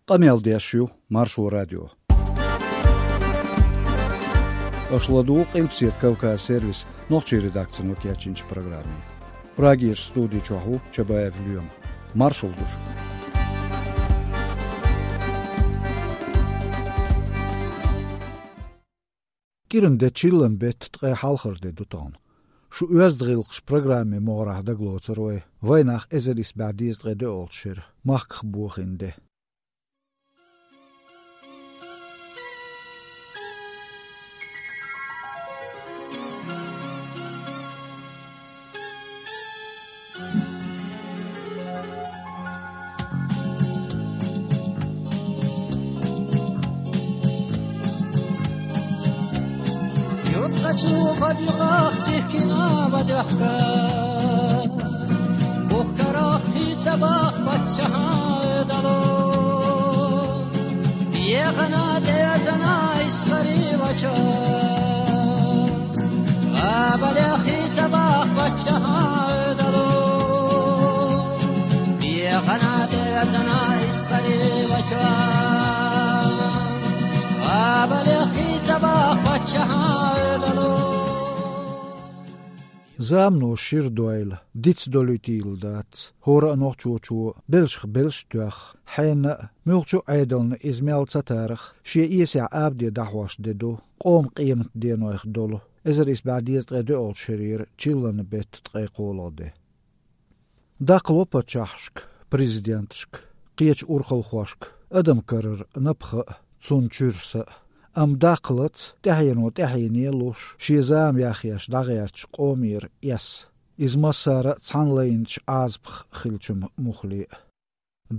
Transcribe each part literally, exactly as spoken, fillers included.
Къамел деш ю Маршо радио. Аша ладугӀу Къилбаседа Кавказ сервисан нохчийн редакцино кечйинчу программе. Прагерчу студи чохь ву Чабаев Лоьма. Маршалла ду шуьга. КӀиран де, чиллан беттан ткъе хьалхара де ду тахана. Шу «Оьзда гӀиллакхаш» программин могӀарехь дагалоцур вай вайнах эзар исс бӀе дезткъе доьалгӀачу шеран махках бохийна де. Юткъачу бадуьйгӀах дихкина ма доьхка, бухкарах хийца бах паччахьан Ӏедало. Ехана тӀевезана исхари вачо, гӀабалехи ца бах паччахьан Ӏедало. Ехана тӀевезана исхари вачо, гӀабалехи ца бах паччахьан Ӏедало. Замано шира дойла, диц долуьйтийла дац, хӀора а нохчочо белшах белш а тоьхна, хьенна а, муьлххачу а Ӏедална иза мел ца тарах, шен эсехь абаде дӀахьош де ду къоман къематденойх долу эзар исс бӀе дезткъе доьалгӀачу шерера чиллан беттан ткъе кхоалгӀа де. Даккхало паччахьашка, президенташка, кхечу урхалхошка адам карара напха а, цунна чуьра са а. Амма даккхалц тӀаьхьено тӀаьхьене луш, шен зама яхъеш дӀагӀертачу къомера эс. Иза массара а цхьана лайначу Ӏазапах хиллачун муххале а.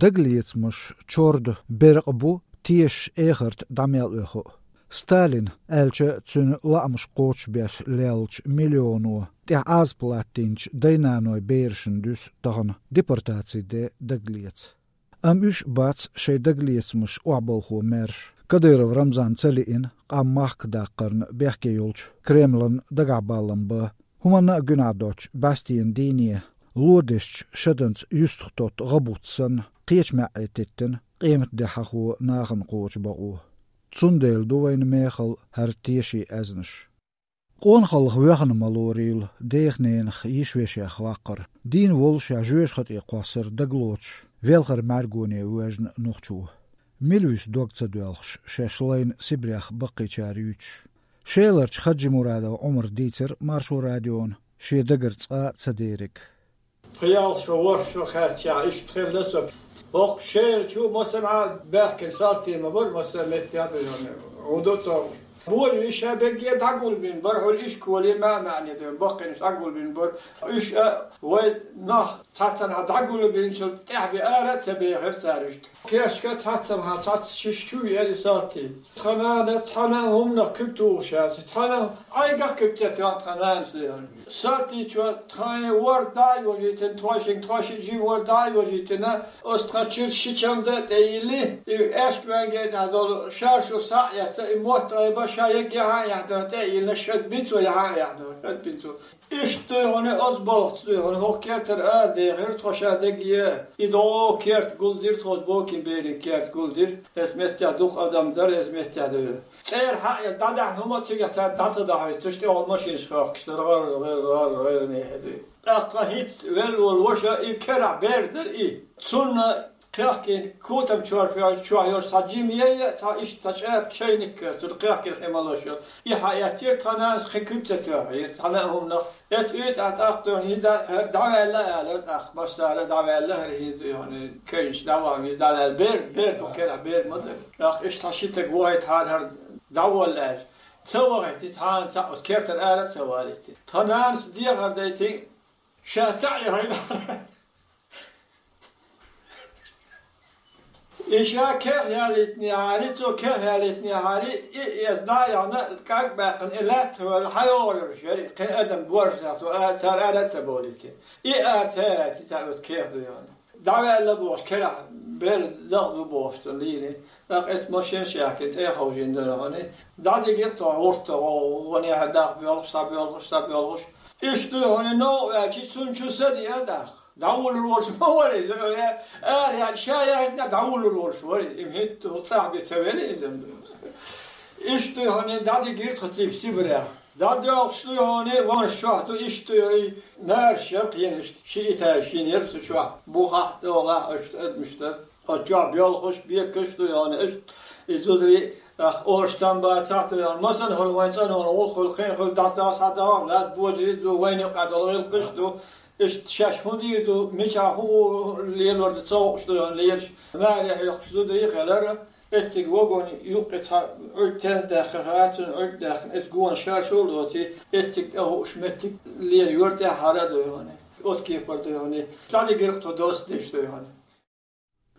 Дагалецамаш, чорда беркъа бу тешаш эхарта дӀа мел оьху а. Сталин, аьлча, цуьнан лаамаш кхочушбеш леллачу миллионо тӀехь Ӏазап латтийначу дай-наной берашна дуьсу тахана депортацин де дагалеца. Амма уьш а бац шайн дагалецамаш охьабалхо маьрша. Кадыров Рамзан ца лиъна, къам махках даккхарна бехке йолчу Кремлан дагахь баллам бан, хӀуманна а гуьнахь доцучу бӀаьстенан дийне, ло дезачу шаданца юьстах тотту гӀа-буц санна, кхечу маьӀӀе теттина, къематде хьахо нахана кхочу бакъо. Цундела ду вайна мехала хӀара тешийн аьзнаш. Къонахаллах воьхна ма лорийла дех-ненах, йиш-вешех ваккхар. Дийна воллушехь жоьжахати тӀе кхоссар дагалоцуш, велхаран мӀаьргоне воьжна нохчо. Мила вуьсу дог ца доьлхуш, шаьш лайна Сибрех баккхийчара юьйцуш? Шеларчу Хаджимурадов Ӏумара дийцира Маршо радиона шен дагара цкъа а ца дериг. Пхи-ялх шо, ворхӀ шо кхаьччахь, иштта хилла со. ХӀокху Шелачу масанхьа баьхкина салтий ма бара, маса меттехь а, хӀун ду цо. Божарий ша берриге дӀагулбина бара, хьуьлла ишколе маьӀ-маьӀне ду, баккхийнаш дӀагулбина бара. Уьш а вай нах цхьаццанхьа дӀагулбинчул тӀаьхьа бен ара а ца бехира цара иштта. Кешка цхьаццанхьа цхьацца шиш чу веара и салтий. Тхан нана цхьана а хӀуманах куьг тухуш яц, цхьана а Ӏайгах куьг ца тоьхна тхан нанас, дехар. Салтийчо тхайн ворда дӀа а йожийтина, тхойшинга тхойшиъ жима ворда дӀа а йожийтина, оцу тхан чуьра ши чамда а тӀейилли, и аьшка маьнге тӀехь долу шаршу схьа а эцна, и мотт гӀайба ша егге хьан а яхьдора тӀе а йиллина, шад бин цо яхьа а яхьдора, шад бин цо. Иштта дуй хьуна, оцу балхаца дуй хьуна, хӀокху кертара арадехира тхо ша дегге, и догӀу керт гулдира тхо, оцу бокин берийн керт гулдира, эс меттехь дукха адам дара, эс меттехь дуй. ЦӀера хьаъ ян дӀадаьхьна хӀума а цигахь цара дӀа ца дахьийтуш, тӀехула машинаш хохкуш дара, гӀар-гӀар-гӀар-гӀар нехьа дуй. ТӀаккха хӀинца велла волу ваша и керахь бер дара и. Цунна кхехкина, котам чор фоьллачохь йолуш цхьа жима яйа, цхьа иштта цхьа чӀепа чайник, цунна кхехкина хи малош йолу. И хьаэцира, тхан нанас кхин куьг ца тоьхира, цхьана а хӀуманах. Эцу уьйтӀахь тӀаккха дуй хьуна, хӀара дӀаваьлла а алара, тӀаккха массара а дӀаваьлла, хӀара хӀинца дуй хьуна, кевнаш дӀавахана, иза дӀаваьлла. Бер, бер ду, керахь бер ма дара. ТӀаккха иштта цхьа ши стаг вахийтахьара, хӀара дӀаволла аьлча. Ца вахийти, цхьана цхьаъ оцу кертара ара а ца валийти. Тхан нанас дехар дайти, ша цхьаъ яхийна. И ша кех ялийтинехьара, цо кех ялийтинехьара, и эс дӀа а яхна, кӀаг а баьккхина, и лаьттах ваьлла, хьайогӀур йолуш яра, кхин адам боржа цо а, цара ара а ца болийти. И ара ца яйти цара оцу кех дуй хьуна. ДӀаваьлла бохуш, керахь бер дакъа ду бохуш цунна лийни. ТӀаккха эцу машинаш яхкина, тӀе а ховшийна дара хьуна. ДӀадигира тхо гӀуртта, гӀо-, гӀо-, гӀо-, нехьа даккха боьлхуш, схьабоьлхуш, схьабоьлхуш. Иштта дуй хьуна, новкъа ваьлча, цунна чу са диа тӀаккха. ДӀавуллур волуш ма вара иза, ара яьлла ша яхӀийтина дӀавуллур волуш вара иза, им хӀинца цӀахь бен ца велла иза. Иштта ду хьуна, дӀадигира тхо цига Сибрех. ДӀадоьлхуш ду хьуна, ванаш чохь ду, иштта ду и, маьрша яра кхин иштта, ши этаж шина яра цу чохь, бухахь, долахь, аша адамаш дара. Оцу чохь боьлхуш, бекаш ду хьуна, иштта и зударий, ах, оршотан бацахь ду хьуна, масана хӀума вайн цӀанонан гӀуллакх хуьлу, кхин хуьлу, дӀасадаха схьадахьа, лаьтта божарий ду, вайна юкъахь долу гӀиллакхаш ду. Иштта шаьш хӀун дийр ду, мичахь хӀун лелор ду ца хууш ду хьуна лелаш. Маьре хьоькхуш зударий хилара, эццига вагон юккъе цхьа Ӏуьрг тенза даьккхина хилла, цунна Ӏуьрг даьккхина, иза гонаш шаршо а лоций, эццига тӀе хууш меттиг лела юьра тӀаьххьара а ду хьуна. Оцу кепара ду хьуна. ДӀадигира тхо доцца деш ду хьуна.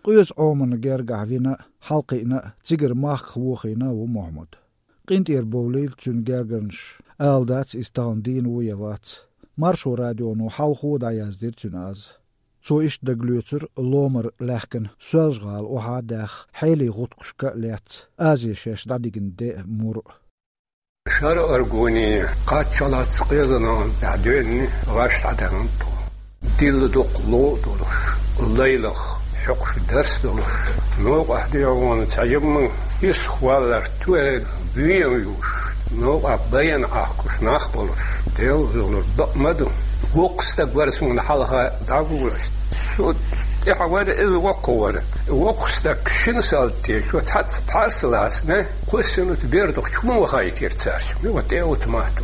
Къоьза Ӏомана гергахь вина, хьалакхиъна а, цигара махках вохийна а ву Мохьмад. КъинтӀера бовлийла цуьнан гергарнаш, ала дац, иза тахана дийна ву я вац. Маршо радионо хьалхо дӀаяздира цуьнан аз. Цо иштта дагалоьцура ломара лаьхкина Соьлжа-ГӀала охьа а даьхна, хьелий гӀутакхашка а лаьцна, Азе шаьш дӀадигна де а, мур а. Шара аргоне кхаччалц къезанан тӀехь доьнни гӀаш дӀадаьхна тхо. Дилла дукха ло а долуш, лайлах хьокхуш дарс а долуш, новкъахь дуьхьал вахана цхьа жимма исхваллар туьйра вен а юуш, новкъахь баян Ӏахкуш нах а болуш, Делан зулар бакъ ма ду. Воккха стаг вара суна хьалха дӀавуллуш. Со тӀаьхьа вара, иза воккха вара. Воккха стаг шина салти чу цхьацца пхьарс лаьцна, кхоьссина оцу бердах чу ма вахийтира цаьрца. Ма тӀе оцу матто.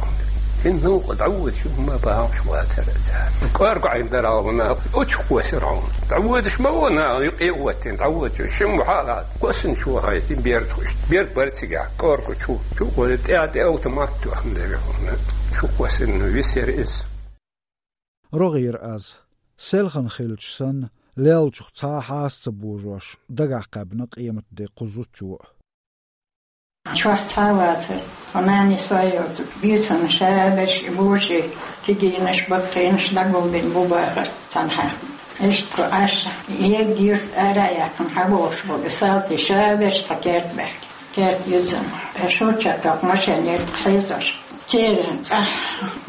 ХӀинца новкъа дӀаводаш ма бахьаш вацара цара. КӀорга Ӏийна дара хьуна, оцу кхоьссира хьуна. ДӀаводаш ма ву наха, юкъе а оттина, дӀаводаш. Шимма хьала, кхоьссина чу вахийтина бердах иштта. Берд бара цигахь, кӀорга чу. Чу а гӀо, тӀе, тӀе оцу матто хӀума дара хьуна. Чу кхоьссина висира иза. РогӀера аз. Селхана хилча санна, леллачух цхьа а хьаса ца божош, дагахь кхаьбна къематде кху зудчо а. Чохь цхьа а вацара, тхо нани сой йоцу, буьйсанна ша берш и божарий, кегийнаш, баккхийнаш дӀагулбина бу бахара цхьанхьа. Иштта тхо Ӏаш, ерг юьрта ара а яьккхина хьабохуш болу, и салти ша берш тхан керта баьхкина. Керта юьззина. Шурча тӀаккха машен яра тхан хьийзош. Церан цӀахь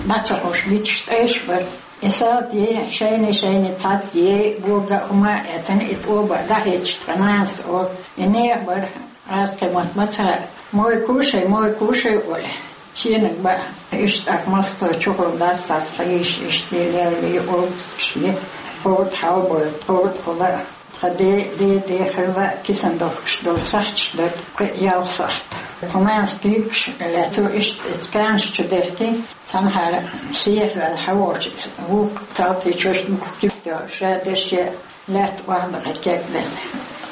дӀа ца хууш биташ тӀайш бара. И салти шайна-шайна цхьацца ей, бога а хӀума а эцна, и тӀоба а дӀахӀитташ тхан нанас олу. И нехан бара, аз кхин мотт ма ца хаьа. Мой кушай, мой кушай олий. Шениг баа. Иштта тӀаккха массо а чухула дас сас хьийша, иштта лелли, обсуш е. Кхода хьалабойла, кхода хула. Тхан де, де, де хилла кисан дохкуш долу сахьташ дара, кхин а ялх сахьт. Тхан нанас куьйгаш лаьцна иштта эцканаш чу дехкий, цхьанхьара сехьаваьлла хьан волчу вукху талтий чуьрчу бухкуьйгаш ша дерш е лаьтта охьадахьа кегделла,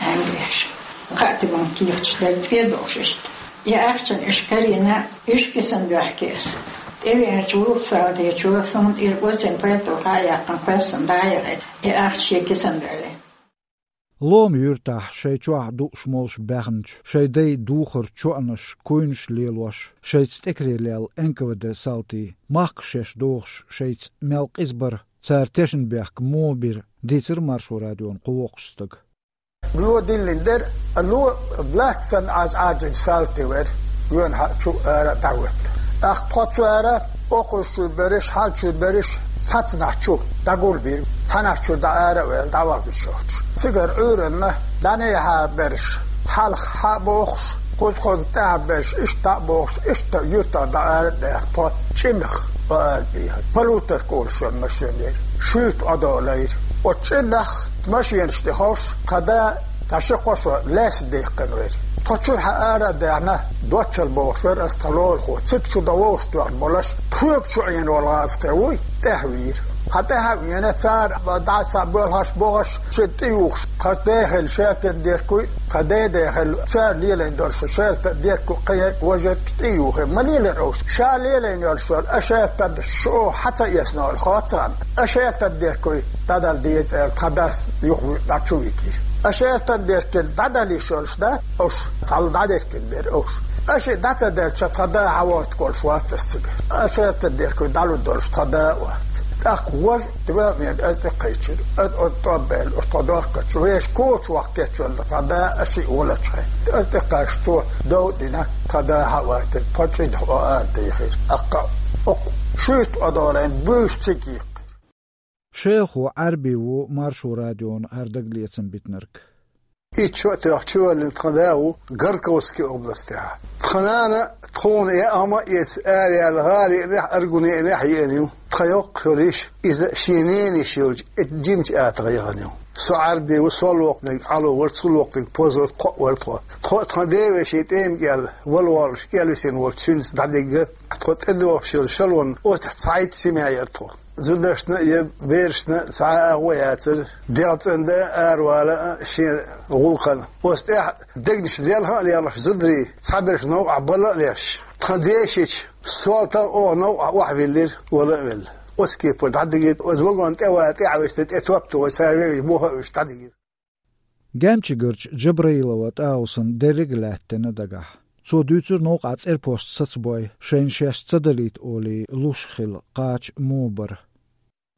Ӏаьнгеш. Кхаа тиман кехаташ дара цӀе долуш иштта. И ахчана уьш карийна, уьш кисан доьхкийса. ТӀевеанчу вукху салтий чо суна тӀера оццун пальто хьа а яьккхина, кхоьссина дӀа а яхийтина, и ахча шен кисан доьлли. Лома юьртахь шайн чохь дууш молуш баьхначу шайн дайн духар чоанаш, куйнаш лелош, шайца тӀекаре лелла Н К В Д салтий, махках шаьш дохуш, шайца мел къиза бара, цара тешна бехк муха бира, дийцира Маршо радиона кху воккхачу стага. Ло диллина дара, ло лаьцна Ӏаж Ӏаьржина салтий вара, гоьна хьа чу ара а дӀахӀоьттина. ТӀаккха тхо цара, окхуьйсучуьра берриш, хьалчуьра берриш, цхьацнахь чу дӀагулбира, цхьаннахь чуьра дӀа ара а ваьлла, дӀавахбича йохуш. Цигара Ӏуьйранна дӀанехьа берш, хьалха хьа а бохуш, кхуза-кхуза тӀаьхьа берш, иштта дӀа а бохуш, иштта юьртах дӀа ара а даьхна, тхо ЧӀинах ара а бийхира. Полуторка олуш йолу машен яра. Шуьйта Ӏодолийра. Оцу ЧӀинах машенаш тӀе ховш, тхан да, тхан ши-кхо шо лаьцна даьккхина вара. Тхо чуьра хьа ара а даьхна, доцчалла бохуш вара аса тхан лулахо, цига чу дан вовшах тоьхна болуш, тхоьга чу Ӏийна волу гӀазкхи вуй, тӀаьхьа вийра. Хьан тӀаьхьа а веана, цара дӀа схьа боьлхуш бохуш, шен тӀе юхуш, тхан дехилла шаьлтан дерг вуй, тхан ден дехилла, цара лелийна долуш шаьлтан дерг ву, кхин ерг, важа ерг тӀе юхий, ма лелира уьш. Ша лелийна йолуш йолу а шаьлтан шу хьан ца эцна олу хоццуш, а шаьлтан дерг вуй, дӀадала деза аьлла, тхан дас юха дӀа чу вигира. А шаьлтан дерг дӀадала йиш йолуш дац уьш, цхьалла дӀадерг дерг дара уьш. Аша дӀа ца делча, тхан да хьан вортуш вац аса цигара. Аша тан дерг дӀалур долуш тхан да а вац. ТӀаккха важа тӀе веана аса тӀекхайчира. Аса оцу тӀом баьлла, оцу тхан дохкачу вешан коча ваккхечунна тхан да аша волчу хьайн. Аса тӀекхаьчча цо дов а дина, тхан да хьан а ваьттина, тхан ЧӀинах Ӏо ара дийхира. ТӀаккха окху шуьйта Ӏодолийна буьйса цига йиккхира. Шелхо Ӏарби ву Маршо радиона хӀара дагалецам битинарг. Итт шо а тоьхна чувоьллина тхан да ву Горьковски областехь. Тхан нана тхуна яа хӀума а эца, араяьлла гӀала йиънехь, Аргуне йиънехь а еана ю. Тхан йоккхачу йолу йиша, иза шен ненан йиша йолчу, и жимачу атагӀа яхана ю. Со Ӏарби ву, со локханиг Ӏало вара, цо локханиг Позо, кхоъ вара тхо. Тхо а тхан ден вешин тӀема кӀел вала воллуш, кӀел висина волчу цуьнца дӀадигна, тхо тӀедогӀуш йолу шалонна оцу тӀехь цхьайтта семья яра тхо. Зударшна а, я берашна а цхьа а агӀо яцара, дегӀ цӀандан а, аравала а шен гӀуллакхана. Оцу тӀехь дегнаш лелха а лелхаш зударий, цхьаберш новкъахь бала а леш, тхан ден йиша, сол тӀе оха новкъахь охьавиллира, вала а велла. Оцу кепара дӀадигира, оцу вагон тӀе ван тӀаьхьа висина, тӀе топ тухуш, цара вевзаш, муха а вуьсуш дӀадигира. Гемчигарчу Джабраилова ТӀаусан дерриг а лаьттина дагахь. Цо дуьйцура новкъахь цӀерпошца сацабой, шайна шаьш ца далийта олий, луш хилла кхача муха бара.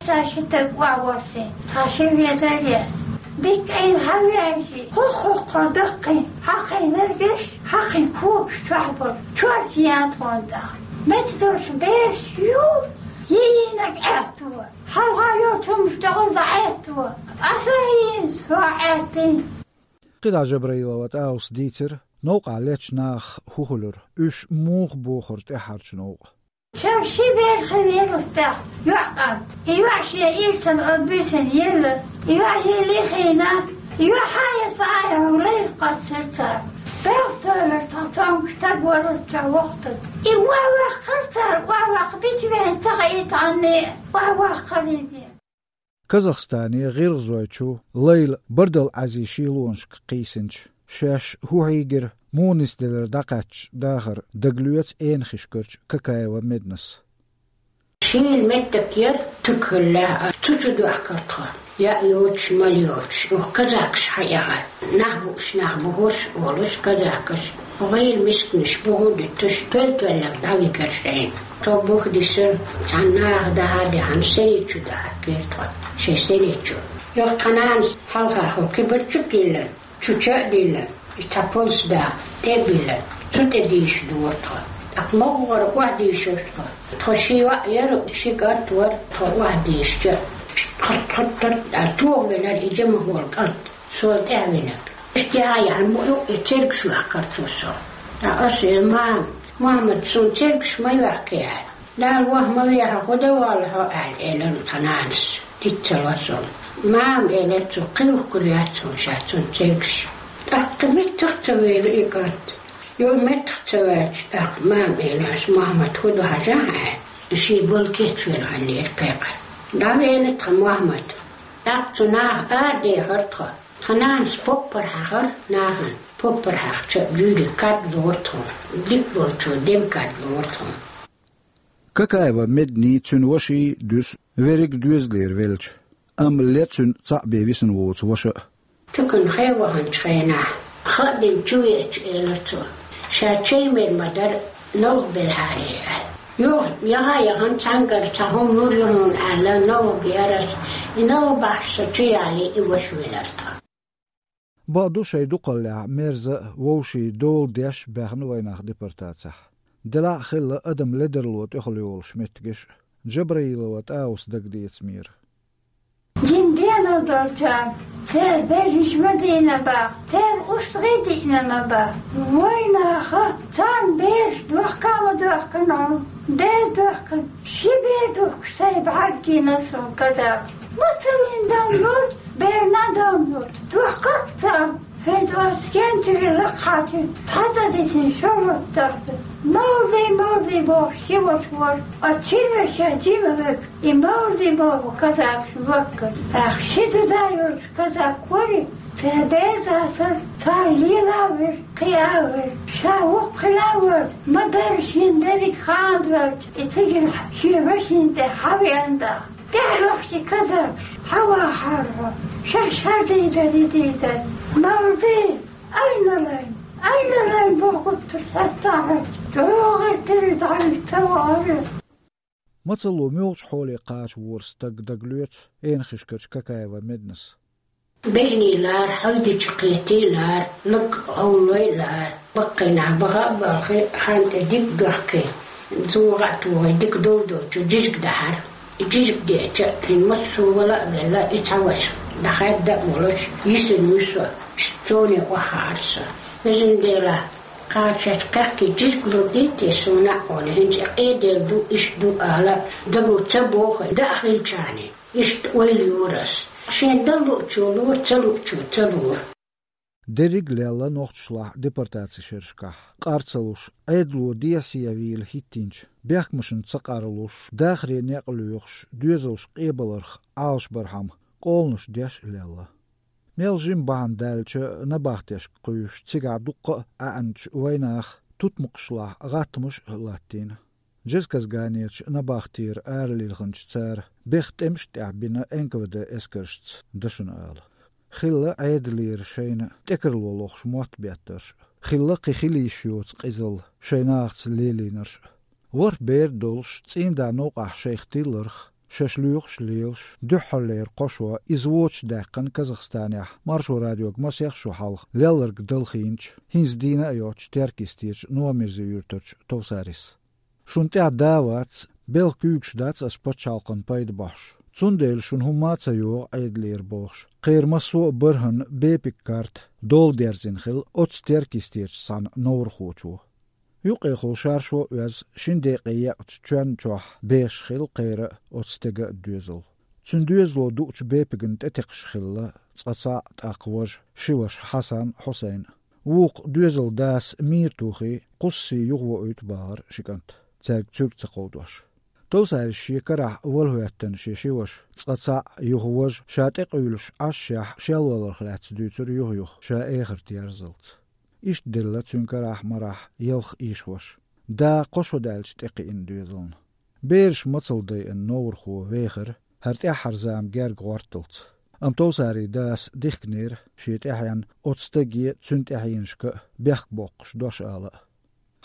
Сан ши стаг охьавоссий, тхан ши везар яц. Дикка Ӏийна хьавеанчий, хӀокху-хӀокху даккхий, хьакхин лергаш, хьакхин когаш чохь болу, чорта ян тхуна тӀаккха. Меца долуш бераш ю, йийинарг аьтту. Хьалха йолчу хӀуманаш тӀехула дӀаӀаьтту, аса а йийна, со а Ӏаьттина. КхидӀа Джабраилова ТӀауса дийцира, новкъахь леттачу нахах хӀун хуьлура, уьш муха бохура тӀаьххьарчу новкъа. Шел ши бер хилла йолу стаг, йоӀ кӀант. И йоӀ шен ирсана оцу буьйсанна елла, и йоӀ елла а хиъна, и йоӀ хьан эцна а яхьа, лайх кхоьссира цара. Белхатойлар тхан цомгуш стаг вара оцу чохь воккха стаг. И охьаваккхара цара, охьаваккха бича вен ца хаийта Ӏанне, охьаваккхара иза. Казахстане гӀиргӀазойчу Лайла Бардал Ӏаьзин шелонашка кхийсинчу, шаьш хӀун хьийгира, муха нисделира дӀакхаьчча дахар, дагалоьцу Эйнхишкарчу Какаева Меднас. Шийла меттиг яра, туька хилла лаьара, цу чу дохкара тхо. Яа йоцуш, мала йоцуш, оха казакаш хьаэхара. Нах бууш, нах бухуш а волуш казакаш. ГӀийла мисканаш буху а дуьтуш, тоьл-тоьлларг дӀавигара шайна. Тхо бух дисира, цхьана наха даха а даьхьна, синий чу дахкийра тхо, шайн синий чу. Юха тхан нанас хьалха хӀокху кибарчу а диллина, чу ча а диллина, и цхьа полс даха, тӀе а биллина, цу тӀе дийша дора тхо. ТӀаккха могӀара охьадийшира тхо. Тхо ши йоӀ яра, ши кӀант вара, тхо охьадийшича, тхо, тхо, тхо, тхо, тохавелира и жима волу кӀант. Со тӀаьхьавинарг. Иштта яхьа яхьа ма ю, и цергаш ваьккхира цо со. Ткъа аса: «Мама, Мохьмад, суна цергаш ма йоьхкий», — аьлла. «Дала ваха ма вехьа, хӀун дан воллу хьо?» — аьлла, элира тхан нанас. Диццалла сона. «Мама, — элира цо, — кхин юхкур яц хьуна ша цунна цергаш». ТӀаккха меттах а ца веара и кӀант. Юха меттах а ца ваьлча, тӀаккха мама элира: «Мохьмад, хӀун ду хьажахьа?» — аьлла. Шен болу кечвелла хьаллера пекъар. ДӀавеана тхан Мохьмад. ТӀаккха цу наха арадехара тхо. Тхан нанас поппар хьахара нахана. Поппар хьахча, жуьйре кад лора тхуна. Дика болчо дема кад лора тхуна. Какаева Медний, цуьнан ваший дуьсу, верриг доьзалера велча, амма ле цуьнан цхьаъ бен висина воцу ваша а. Туьканхе ваханчу хенахь, хаа дина чу веача, элира цо: «Ша чай мер ма дара, новкъа белахьара», — аьлла. Юха яха а яхана, цхьаьнгара цхьа хӀума лур ю хьуна аьлла, новкъа беара аса. И новкъа бахьаш со чу ялий, и ваша велара тхан. Бакъду, шайн дукхаллехь мерза а, вовшийн дола деш а баьхна вайнах депортацехь. Делахь а хилла адам ледарло тӀехула йолуш меттигаш а, Джабраилова ТӀауса дагадецамера. Жин денал долчарна церан бежнаш ма дийна боху, церан устагӀий диъна ма боху. Вайнаха царна бераш дохка а ма дохкана хьуна, бер дохкана, ши бер духкуш сайн бӀаьрг гина суна казакаш. Ма ца йина дам лур, берна а дам лур. Дохкарх царна, хӀинца оцу кентаре лакхахьа цуьнан цхьа цӀа дитина шо лоттарх ду. Мовзий, мовзий бохуш ши ваша вара, оцу шина вешан жима верг. И мовзий боху казакаш лоттара. ТӀаккха ши зуда йолуш казак вара, церан бер дацара, цара лела а вира, кхиа а вира. Ша воккха хила а вара, ма-дарра шен дерриг хана доьлча, и цигара шен вешин тӀе хьавеана даха. ТӀаьхьарчу казакаш хьавахьара хьо, шаьш хӀара дийзар, и дийзар. Мовзий, айналайн, айналайн бохура цара хьаьтта а хьаьтта, чӀогӀа тера дӀавита вахара. Мацалла муьлхачу хьоле кхача вора стаг дагалоьцу Эйнхишкарчу Какаева Меднас. Бежний лара, хьайдича кхетий лара, лаг гӀовлой лара. Баккхийнахь баха а балхий, хан тӀе диг дохкий, зугӀа а тухий, дика дов доцу, жижиг дахьара. Жижиг деача, хин массо вала а велла, и цхьа ваша, дӀахаьдда а волуш, йисина вуьсу, цуне охьахьара со. Везан Дела, кхачарчу кхехкий жижиг лур дийте суна а олу, хӀинца и къедел ду, иштта ду ала, даго ца боху, даа хилчахьана, иштта ойла йора ас. Шен дан луучо лора, ца луучо ца лора. Дерриг а лелла нохчашлахь депортаци шерашкахь, къар ца луш, Ӏедало дехьа-сехьа вийла хӀиттийначу, бехкамашна ца къарлуш, дахаре некъ лоьхуш, доьзалш къебаларх Ӏалашбархьама, къоланаш деш а лелла. Мел жима бахьана даьлча, набахтешка кхуьйсуш, цигахь дуккха а ӀаьӀначу вайнаха тутмакхашлахь гӀаттамаш а латтийна. Джезказганерчу набахтера аралилхинчу цара беха тӀемаш а тӀехь бина Н К В Д эскаршца дашна ала. Хилла Ӏедалера шайна тӀекарло лохуш мотт беттарш а, хилла кхин хила йиш йоцу къизалла шайн нахаца лелийнарш а. ВорхӀ бер а долуш, цӀийнда новкъахь шайх тилларх, шаьш лоьхуш а лелаш, дуьххьарлера кхо шо иза воцуш даьккхина Казахстанехь Маршо радиога масех шо хьалха лелларг далхийначу, хӀинца дийна а йоцчу Теркйистерчу Новомирзи-Юьртарчу Товсарис. Шуна тӀехь да а вац, белхан куьйгаш дац ас пачхьалкхан пайда бохьуш. Цундела шуна хӀумма а ца йогӀу Ӏедалера бохуш, кхеран массо а бархӀанна бепиг карта дола дерзина хилла оцу Теркйистерчу цхьана новрахочо. Юккъехула шаршо а оьзна, шина декъе екъначу чоьнна чохь бехаш хилла кхера а, оцу стеган а доьзал. Цуьнан доьзало дуучу бепигна тӀетекхаш хилла цкъа цхьаъ, тӀаккха важа, ши ваша Хьасан, Хьусайн. Вукху доьзалан дас мийра тухий, кхуссий юхавоуьйту бахара ши кӀант, цаьрга цуьрг ца кховдош. Товсарис шен карахь вала хӀоьттина шен ши ваша, цкъа цхьаъ, юха важа, ша тӀекъуьйлуш Ӏашшехь шел валарх лаьцна дуьйцура юха-юха, ша эхарта ерзалц. Иштта делла цуьнан карахь-марахь ялх йиша-ваша. Да кхо шо даьлча тӀекхиъна доьзална. Бераш мацалла дайъина новрахо вехара, хӀара тӀаьххьара зама герга гӀорталц. Амма Товсарин дас дихкинера шен тӀаьхьенна оцу стаге, цуьнан тӀаьхьенашка а бехк боккхуш дош ала а.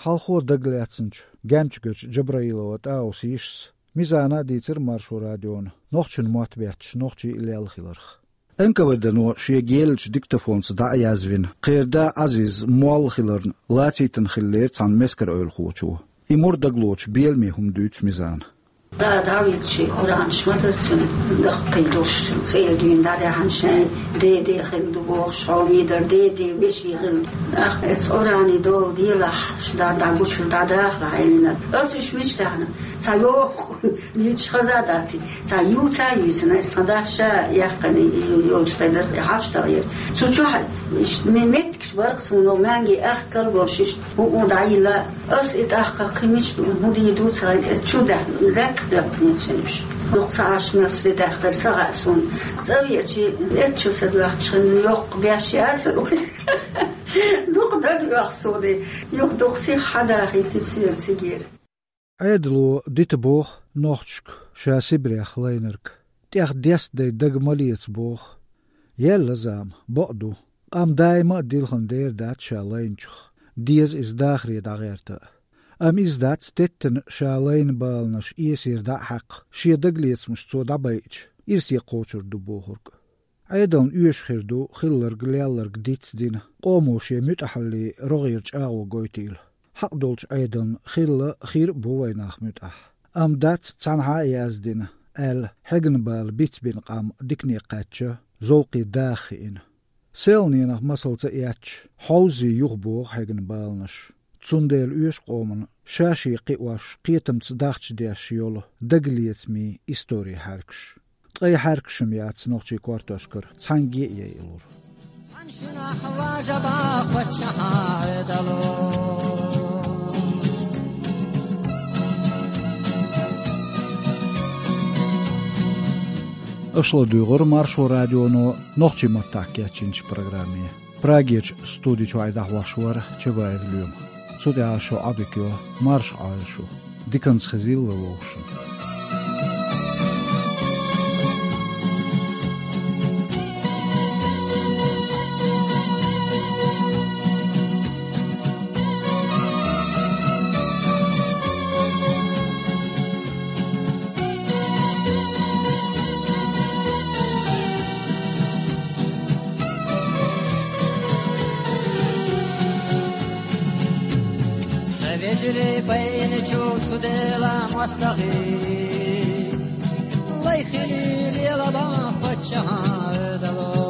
Хьалхо дагалаьцначу Гемчугарчу Джабраилова ТӀаусин йишас Мизана а дийцира Маршо радиона, нохчийн мотт бетташ нохчий а лелла хиларх. Н К В Д-но шен геллачу диктофонца дӀа а язвина, кхеран да Ӏазиз молла хиларна лацийтина хиллера цхьана мескара эвлахочо. И мур дагалоцуш беламе хӀума дуьйцу Мизана. Да дӀавигчи Къуранаш ма дара цуьнан, даккхий долуш, цӀера дуьйна дӀадаьхьна шайн деде хилла ду бохуш, хьо мийдар деде веший хилла. Ах, эца Къурани дола делахь, шу да дӀагучуьра дӀадахара хьайнина. Ас уьш мича даьхьна? Цхьа йоху, мича хаза дац и. Цхьа юца а юьйцина, ас тхан дас ша яьккхина, и йолчу тайнарх и хьаш тагӀера. Цу чохь иш ме-, меттигаш барх цунах маьнги ахкал болуш иштта. ХӀуъу дӀайилла, ас и тӀаккха кхин мича ду, хӀун дийр ду ца хилла, чу даьхна, лаьтта доьхкина цуьнан уьш. Дукха ца Ӏаш мел сде даьхкар ца хаьа суна. ЦӀа веачи, эцчу ца доьхча хинна, йоккха беш яцара вай. Дукха дагайоьху суна, юха дукха сиха хьадахийти соьга цигера. Ӏедало дита боху нохчашка ша Сибрех лайнарг. ТӀех дестадай дага ма леца боху. Елла зама, бакъ ду. Къам даима а дилхина дер дац ша лайначух, деза иза дахаре дӀагӀерта а. Амма иза дац теттина ша лайна баланаш эсера дӀа а хьаькхна, шен дагалецамаш цо дӀабайча, ирсе кхочур ду бохург. Ӏедална оьшуш хир ду хилларг-лелларг дицдина, къомо шен муьтӀахьаллин рогӀера чӀагӀо гойтийла. Хьакъ долчу Ӏедална хилла, хир а бу вайнах муьтӀахь. Амма дац цхьанхьа а яздина, аьлла, хьегна бала бицбина къам дикане кхаьчча, зовкхе даха хиъна. Селханенах масалца эцча, хьовзий юхабоху хьегна баланаш. Цундела оьшу къоман ша-шен кхиош, кхетамца дахча деш йолу дагалецамийн историн хьаьркаш. Ткъа и хьаьркаш-м яц нохчийн кортошкара цхьаьнгге а яйалур. Цхьана шинахь важа бан паччахьан Ӏедало. Аша ладуьйгӀура Маршо радионо нохчийн маттахь кечйинчу программе. Прагерчу студи чуьра дӀахьош вара Чабаев Лоьма. Цу тӀехь шун Ӏодика йо, марша Ӏойла шу. Диканца хезийла вай вовшашна. Сан вежарий, байинчу цу Делан мостагӀий, Хилийле лабаф паччахьан Ӏовдало.